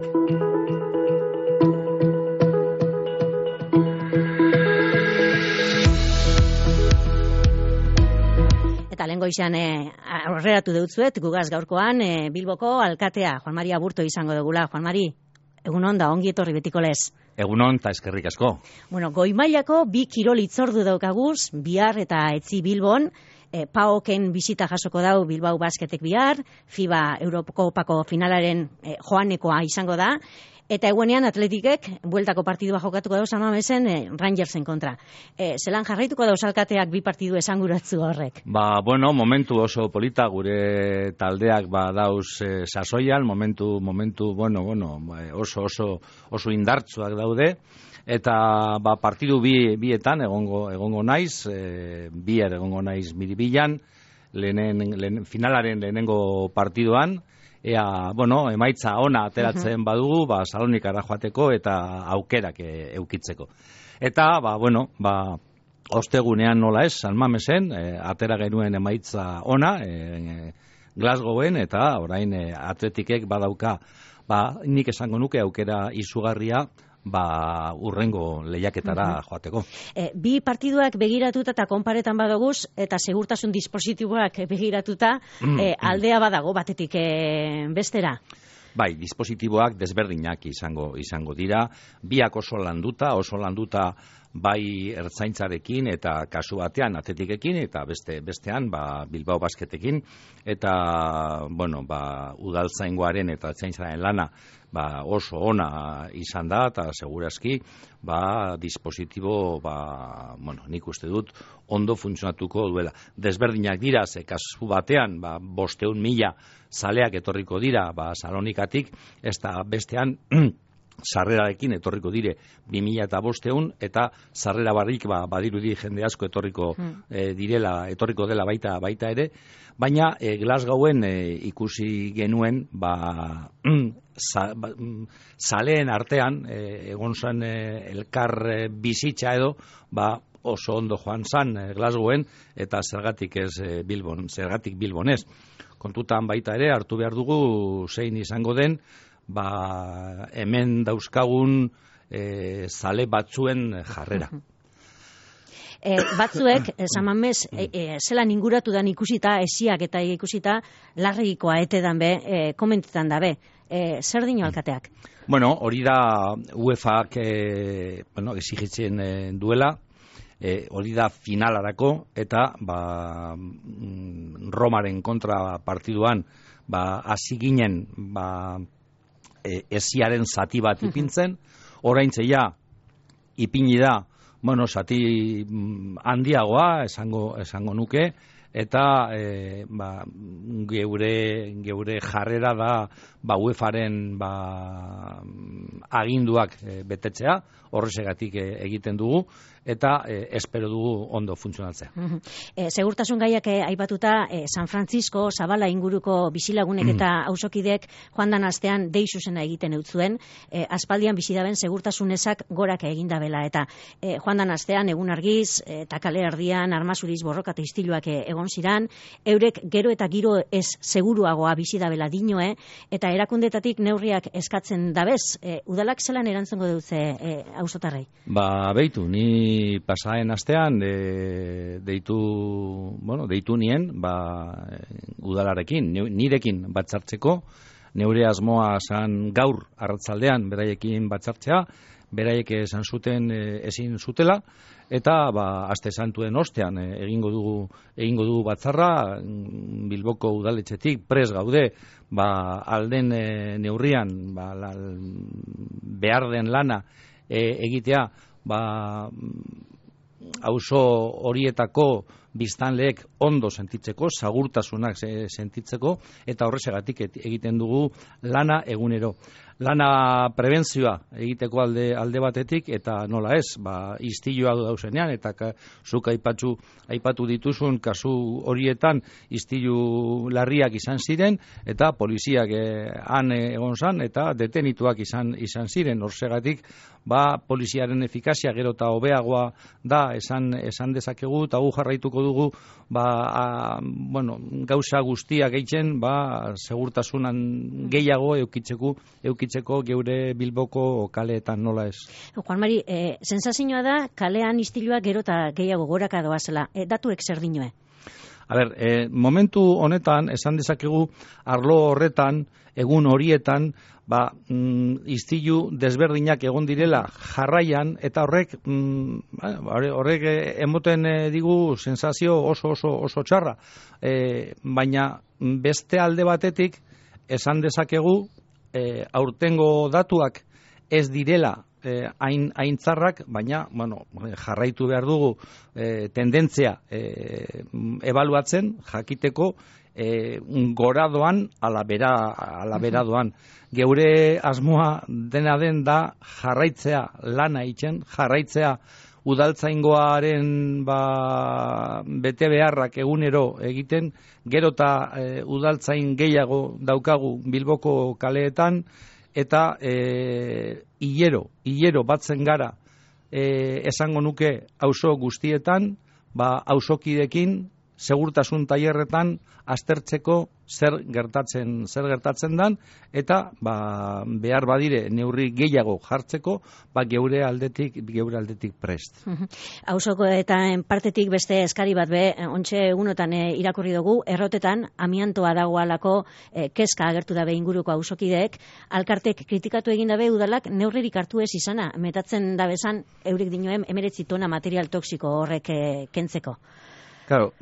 Eta lehen goizean aurreratu deutzuet, gugaz gaurkoan Bilboko alkatea, Juan Mari Aburto izango dugula. Juan Mari, egunon da, ongi etorri betiko lez. Egunon eta eskerrik asko. Bueno, goi mailako bi kirol itzordu daukaguz, bihar eta etzi Bilbon, PAOKen bisita jasoko dau Bilbao Basketek bihar, FIBA Eurokopako finalaren joanekoa izango da, eta egunean Atletikek bueltako partidua jokatuko dauz Amamesen Rangersen kontra. Zelan jarraituko dauz alkateak bi partidu esanguratzu horrek? Bueno, momentu oso polita gure taldeak dauz sasoian, momentu oso indartsuak daude, eta partidu bietan egongo naiz, bihar egongo naiz Miribilan, finalaren lehenengo partiduan, emaitza ona ateratzen badugu, Salonikara joateko eta aukerak eukitzeko. Eta, ostegunean nola ez, San Mamesen, atera genuen emaitza ona, Glasgowen, eta orain Atletikek badauka, nik esango nuke aukera izugarria, urrengo lehiaketara joateko. Bi partiduak begiratuta eta konparetan badoguz, eta segurtasun dispositiboak begiratuta, aldea badago batetik bestera? Bai, dispositiboak desberdinak izango dira, biak oso landuta bai ertzaintzarekin eta kasu batean Atletikekin eta bestean Bilbao Basketekin eta udaltzaingoaren eta ertzaintzaren lana oso ona izan da eta segurazki dispositibo nik uste dut ondo funtzionatuko duela. Desberdinak dira, ze kasu batean 500.000 zaleak etorriko dira Salonikatik, eta bestean sarrerarekin etorriko dire 2.500 eta sarrera barrik badirudi jende asko etorriko dela baita ere, baina Glasgowen ikusi genuen zaleen artean egon zen elkar bizitza edo oso ondo joan zan Glasgowen eta zergatik Bilbon ez. Kontutan baita ere hartu behar dugu zein izango den hemen dauzkagun zale batzuen jarrera. Batzuek, Samamez, zelan inguratu dan ikusita, esiak eta ikusita, larregikoa etedan be, komentetan da be. Zer dino alkateak? Bueno, hori da UEFAak exigitzen duela, hori da finalarako, eta Romaren kontra partiduan hasi ginen esiaren zati bat ipintzen, oraintzeia ipini da, zati handiagoa esango nuke, eta geure jarrera da UEFAren aginduak betetzea, horrezegatik egiten dugu, eta espero dugu ondo funtzionatzea. Segurtasun gaiak aipatuta, San Francisco, Zabala inguruko bizilagunek eta auzokidek joan dan astean dei zuzena egiten eutzuen, aspaldian bizidaben segurtasun ezak gorak egindabela, eta joan dan astean egun argiz, eta kale erdian, armazuriz, borroka eta istiluak egon ziran, eurek gero eta giro ez seguruagoa bizidabela dinoe, eta erakundetatik neurriak eskatzen dabez, udalak zelan erantzongo dutze auzotarrei? Beitu, ni pasaen astean deitu nien udalarekin, nirekin batzartzeko, neure asmoa zan gaur arratzaldean beraiekin batzartzea, beraiek esan zuten ezin zutela, eta aste santuen ostean egingo dugu batzarra, Bilboko udaletxetik prest gaude, alden neurrian behar den lana egitea, auzo horietako biztanleek ondo sentitzeko, segurtasunak sentitzeko, eta horrezegatik egiten dugu lana egunero. Lana prebentzioa egiteko alde batetik, eta nola ez, istiluak dauzenean, eta zuk aipatu dituzun kasu horietan istilu larriak izan ziren, eta poliziak han egon zan, eta detenituak izan ziren. Horrezegatik, poliziaren efikazia gero eta hobeagoa da esan dezakegu, eta gu jarraituko dugu gauza guztiak egiten, segurtasunan gehiago eukitzeko geure Bilboko kaleetan, nola ez. Juan Mari, sensazioa da, kalean istiluak gero eta gehiago goraka doazela. Datuek zer dinoe? Momentu honetan, esan dezakegu, arlo horretan, egun horietan, istilu desberdinak egon direla jarraian, eta horrek emoten digu sensazio oso txarra. Baina beste alde batetik, esan dezakegu, aurtengo datuak ez direla hain txarrak, baina jarraitu behar dugu tendentzia ebaluatzen, jakiteko gora doan, ala bera doan. Geure asmoa dena den da jarraitzea lana egiten, jarraitzea udaltzaingoaren bete beharrak egunero egiten, gero eta udaltzain gehiago daukagu Bilboko kaleetan, eta hilero batzen gara esango nuke auzo guztietan, auzokidekin, segurtasun tailerretan aztertzeko zer gertatzen dan, eta behar badire neurri gehiago jartzeko, geure aldetik prest. Auzoko eta partetik beste eskari bat ontxe egunotan irakurri dugu, errotetan amiantoa dagoalako kezka agertu dabe inguruko auzokideek, alkartek kritikatu egin dabe udalak neurririk hartu ez izana, metatzen dabezan eurik dinoen 19 tona material toxiko horrek kentzeko. Claro,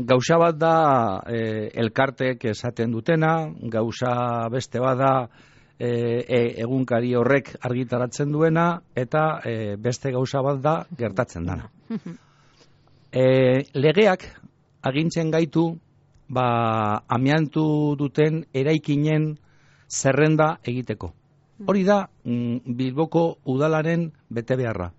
gauza bat da elkartek esaten dutena, gauza beste bat da egunkari horrek argitaratzen duena, eta beste gauza bat da gertatzen dana. Legeak agintzen gaitu amiantu duten eraikinen zerrenda egiteko. Hori da Bilboko udalaren bete beharra.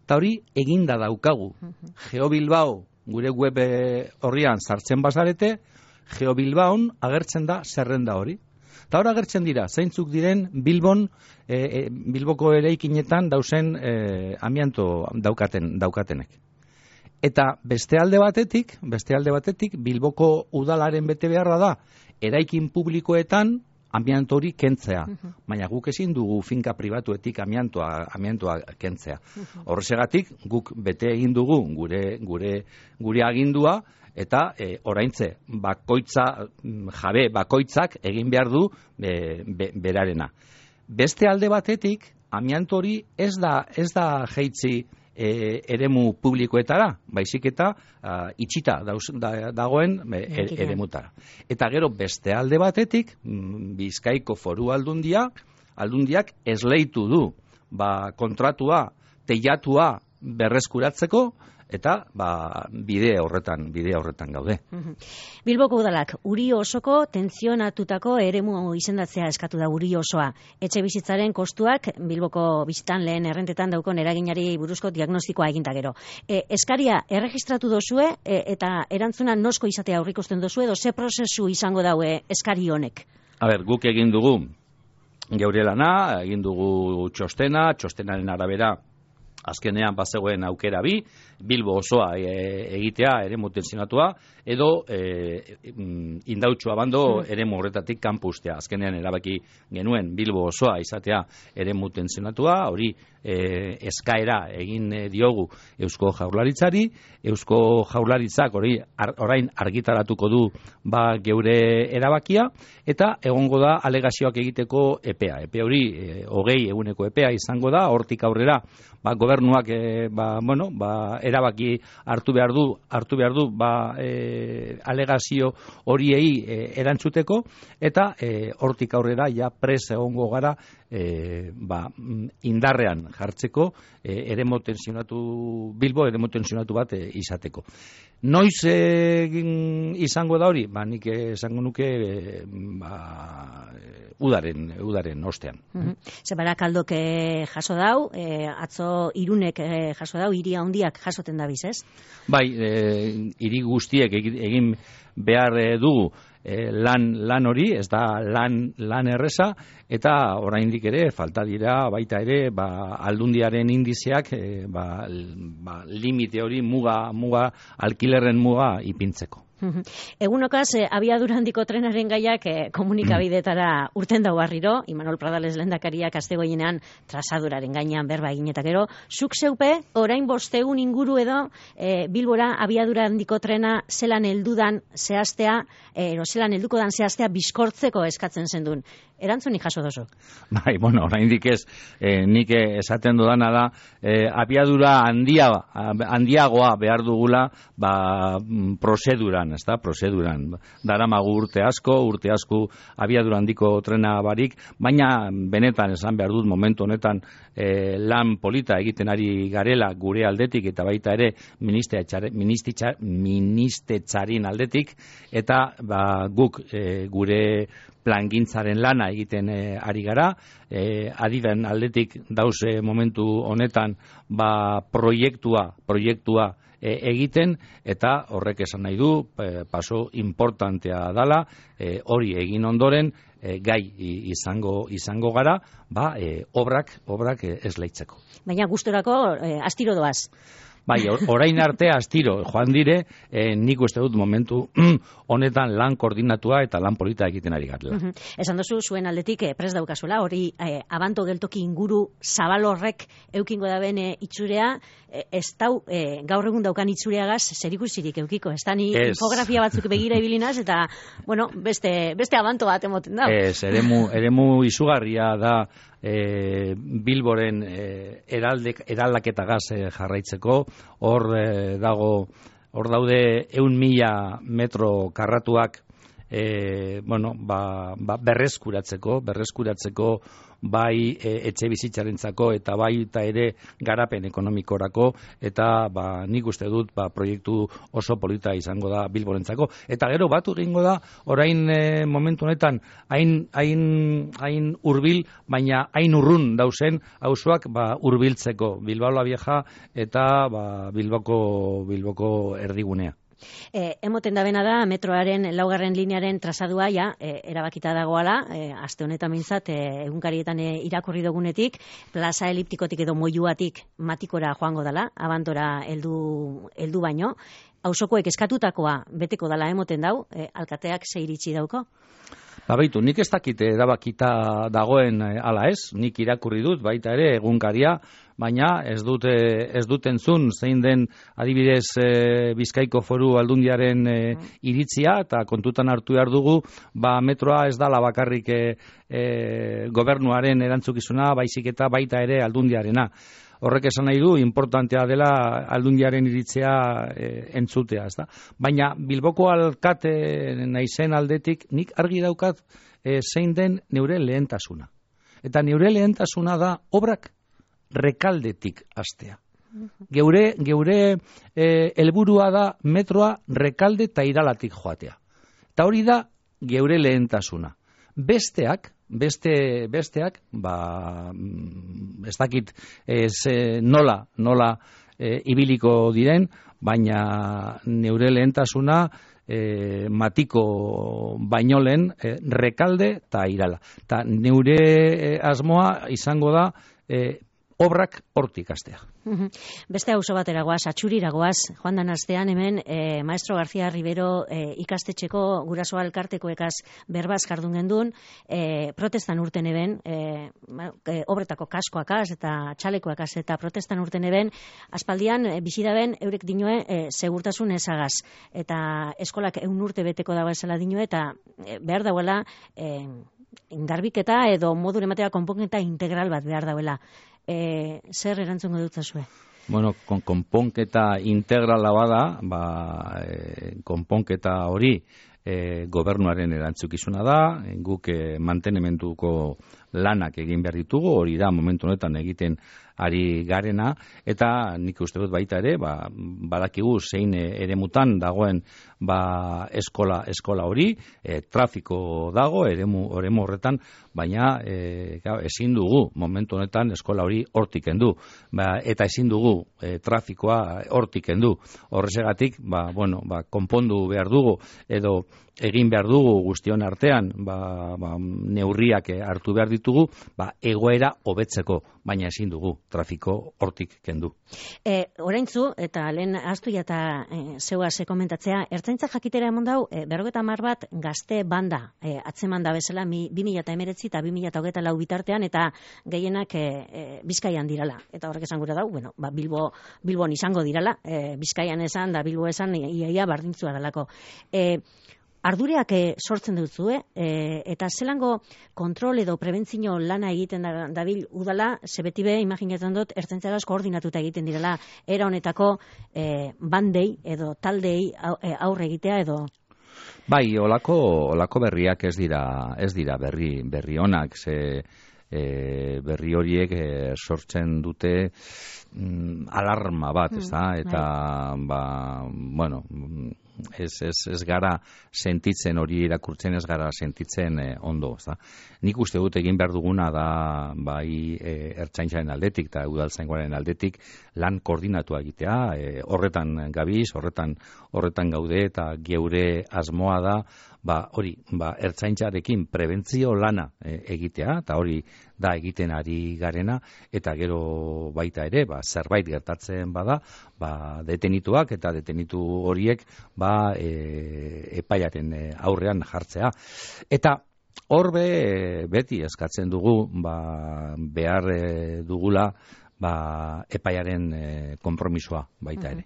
Eta hori eginda daukagu. GeoBilbao gure web horrian sartzen bazarete, GeoBilbaon agertzen da zerrenda hori. Eta hor agertzen dira, zeintzuk diren Bilboko eraikinetan dauzen amianto daukatenek. Eta beste alde batetik, Bilboko udalaren bete beharra da, eraikin publikoetan amianto hori kentzea. Baina guk ezin dugu finka pribatuetik amiantoa kentzea. Horregatik guk bete egin dugu gure agindua, eta oraintze bakoitzak egin behar du berarena. Beste alde batetik amianto hori ez da jaitsi eremu publikoetara, baizik eta itxita dagoen eremutara. Eta gero beste alde batetik, Bizkaiko Foru Aldundiak esleitu du kontratua, teilatua berreskuratzeko, eta bide horretan gaude. Bilboko udalak Uri osoko tentzionatutako eremu izendatzea eskatu da Uri osoa. Etxe bizitzaren kostuak Bilboko bizitan lehen errentetan daukon eraginari buruzko diagnostikoa eginta gero. Eskaria erregistratu dozue eta erantzuna nosko izatea aurrikusten dozue, edo ze prozesu izango daue eskari honek? Guk egin dugu geure lana, egin dugu txostenaren arabera azkenean bazegoen aukera Bilbo osoa egitea eremu tentsionatua, edo Indautxu Abando eremu horretatik kanpustea. Azkenean erabaki genuen Bilbo osoa izatea eremu tentsionatua, hori eskaera egin diogu Eusko Jaurlaritzari. Eusko Jaurlaritzak orain argitaratuko du geure erabakia, eta egongo da alegazioak egiteko epea. Epe hori 20 eguneko epea izango da, hortik aurrera gobernuak erabaki hartu behar du alegazio horiei erantzuteko, eta hortik aurrera ja pres egongo gara indarrean jartzeko Bilbo eremu tentsionatu bat izateko. Noiz izango da hori? Nik esango nuke udaren ostean. Zebarakaldok jaso dau, atzo Irunek jaso dau, hiri handiak jasoten dabiz, ez? Bai, hiri guztiek egin behar dugu lan hori, ez da lan erreza, eta oraindik ere falta dira baita ere aldundiaren indizeak limite hori muga alkilerren muga ipintzeko. Egunokaz, abiadura handiko trenaren gaiak komunikabidetara urten dau barriro, Imanol Pradales lehendakariak astegoienean trazaduraren gainean berba egin eta gero, zuk zeupe, orain 5 egun inguru edo Bilbora abiadura handiko trena zelan heldudan zehaztea, zelan helduko dan zehaztea bizkortzeko eskatzen zendun. Erantzunik jaso dozu? Bai, bueno, oraindik ez, nik esaten dudana da, abiadura handiagoa behar dugula, prozeduran, ez da, prozeduran. Daramagu urte asko abiadura handiko trena barik, baina benetan esan behar dut momentu honetan lan polita egiten ari garela gure aldetik, eta baita ere ministertzarin aldetik, eta guk gure plangintzaren lana egiten ari gara, adiben aldetik dauze momentu honetan proiektua egiten, eta horrek esan nahi du paso importantea dala, hori egin ondoren gai izango gara, obrak esleitzeko. Baina gustorako astiro doaz. Bai, orain arte astiro joan dire, nik uste dut momentu honetan lan koordinatua eta lan polita egiten ari garela. Esan dozu, zuen aldetik prest daukazuela, hori abanto geltoki inguru zabal horrek eukingo da bene itzurea, ez dau gaur egun daukan itzureagaz zerikusirik eukiko, ez da ni infografia batzuk begira ibilinaz, eta, bueno, beste abanto bat emoten da. Ez, eremu izugarria da Bilboren eraldaketagaz jarraitzeko, hor daude 100.000 metro karratuak berreskuratzeko bai etxe bizitzarentzako eta bai eta ere garapen ekonomikorako, eta nik uste dut proiektu oso polita izango da Bilborentzako. Eta gero batu egingo da orain momentu honetan hain hurbil, baina hain urrun dauzen auzoak hurbiltzeko, Bilbao la Vieja eta Bilboko erdigunea. Emoten da bena da, metroaren 4. linearen trazadua erabakita dagoala, aste honetan mintzat, egunkarietan irakurri dugunetik, plaza eliptikotik edo moiuatik matikora joango dala, abantora heldu baino. Auzokoek eskatutakoa beteko dala emoten dau, alkateak ze iritsi dauko? Baitu, nik ez dakit erabakita dagoen ala ez, nik irakurri dut, baita ere egunkaria, baina ez dut entzun zein den adibidez Bizkaiko Foru Aldundiaren iritzia, eta kontutan hartu behar dugu, metroa ez dala bakarrik gobernuaren erantzukizuna, baizik eta baita ere Aldundiarena. Horrek esan nahi du, importantea dela Aldundiaren iritzea entzutea, ezta? Baina Bilboko alkate naizen aldetik nik argi daukat zein den neure lehentasuna. Eta neure lehentasuna da obrak Rekaldetik hastea. Geure helburua da metroa Rekalde eta Iralatik joatea. Eta hori da geure lehentasuna. Besteak, ez dakit nola ibiliko diren, baina neure lehentasuna Matiko baino lehen Rekalde eta Irala. Eta neure asmoa izango da obrak hortik hastea. Beste auzo batera goaz, Atxurira goaz, joan dan astean hemen Maestro García Rivero ikastetxeko guraso elkartekoekaz berbaz jardun gendun, protestan urten eben, obretako kaskoakaz eta txalekoakaz eta protestan urten eben, aspaldian bizidaben eurek dinoe segurtasun ezagaz, eta eskolak 1 urte beteko dago esala dinoe, eta behar dauela garbiketa edo modu ematea konponketa integral bat behar dauela. Zer erantzungo dut zazue? Bueno, konponketa integrala bada, konponketa hori gobernuaren erantzukizuna da, guk mantenemenduko lanak egin behar ditugu, hori da momentu honetan egiten ari garena, eta nik uste dut baita ere, badakigu zein eremutan dagoen eskola hori, trafiko dago eremu horretan, baina ezin dugu momentu honetan eskola hori hortik kendu, eta ezin dugu trafikoa hortik kendu. Horregatik, konpondu behar dugu, edo egin behar dugu guztion artean, neurriak hartu behar ditugu, egoera hobetzeko, baina ezin dugu trafiko hortik kendu. Oraintzu, eta lehen ahaztu eta zeuaz komentatzea, ertzaintza jakitera emon dau, 50 bat gazte banda atzeman da bezala 2019 eta 2024 bitartean, eta gehienak Bizkaian dirala. Eta horrek esan gura dau, Bilbon izango dirala, Bizkaian esan da Bilbo esan iaia bardintzua dalako. Ardureak sortzen dutzue, eta zelango kontrol edo prebentzio lana egiten dabil udala, zebetibe, imaginatzen dut, ertzaintzagaz koordinatuta egiten direla, era honetako bandei edo taldei aurre egitea edo... Bai, olako berriak ez dira berri onak, berri horiek sortzen dute alarma bat, eta ez gara sentitzen hori irakurtzen, ez gara sentitzen ondo. Nik uste dut egin behar duguna da bai ertzaintzaren aldetik eta udaltzaingoaren aldetik lan koordinatua egitea, horretan gabiz, horretan gaude, eta geure asmoa da ertzaintzarekin prebentzio lana egitea, eta hori da egiten ari garena, eta gero baita ere, zerbait gertatzen bada, detenituak eta detenitu horiek epaiaren aurrean jartzea. Eta horbe beti eskatzen dugu behar dugula epaiaren konpromisoa baita ere.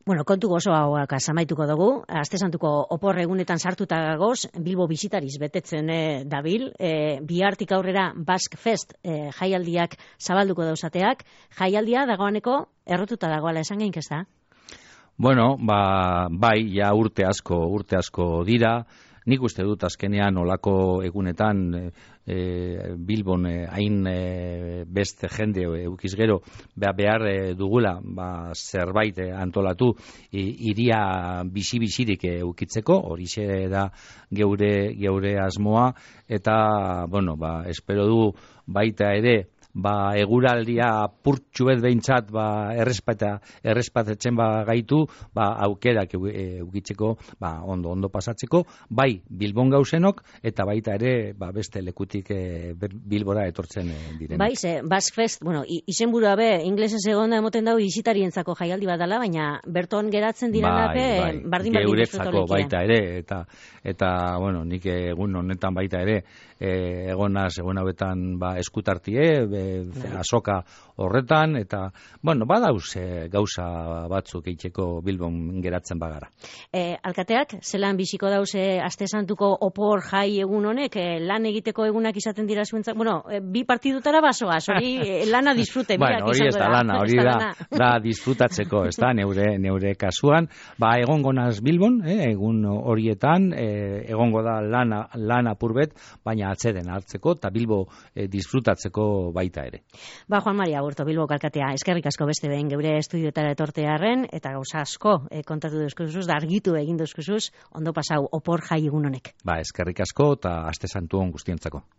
Bueno, kontu gozo hauak amaituko dugu. Aste Santuko opor egunetan sartuta gagoz, Bilbo bisitariz betetzen dabil. Bihartik aurrera Basque Fest jaialdiak zabalduko dauzateak. Jaialdia dagoaneko errotuta dagoala esan geink ez da? Bueno, bai, ja urte asko dira. Nik uste dut azkenean olako egunetan Bilbon hain beste jende eukiz gero behar dugula zerbait antolatu iria bizi-bizirik eukitzeko, horixe da geure asmoa, eta espero du baita ere eguraldia purtsuet behintzat errespatetzen gaitu aukerak eukitzeko ondo pasatzeko, bai Bilbon gauzenok eta baita ere beste lekutik Bilbora etortzen direnak. Bai, Basque Fest, izenburua inglesez egonda emoten dago bisitarientzako jaialdi bat dela, baina berton geratzen direla bardin geuretzako baita ere, eta nik egun honetan baita ere egonaz egun hauetan eskutartie azoka horretan, eta badauz gauza batzuk egiteko Bilbon geratzen bagara. Alkateak, zelan biziko dauze Aste Santuko opor jai egun honek, lan egiteko egunak izaten dira zuentzat, bi partidutara basoaz, hori lana disfrute. Hori ez da lana, hori da disfrutatzeko, ez da, neure kasuan, egongo naz Bilbon, egun horietan, egongo da lan apurbet, baina atzeden hartzeko, eta Bilbo disfrutatzeko baita ere. Juan Maria Aburto, Bilbo alkatea, eskerrik asko beste behin geure estudioetara etortearren, eta gauza asko kontatu duzkuzuz, da argitu egin duzkuzuz, ondo pasau opor jai egun honek. Eskerrik asko, eta Aste Santu on guztientzako.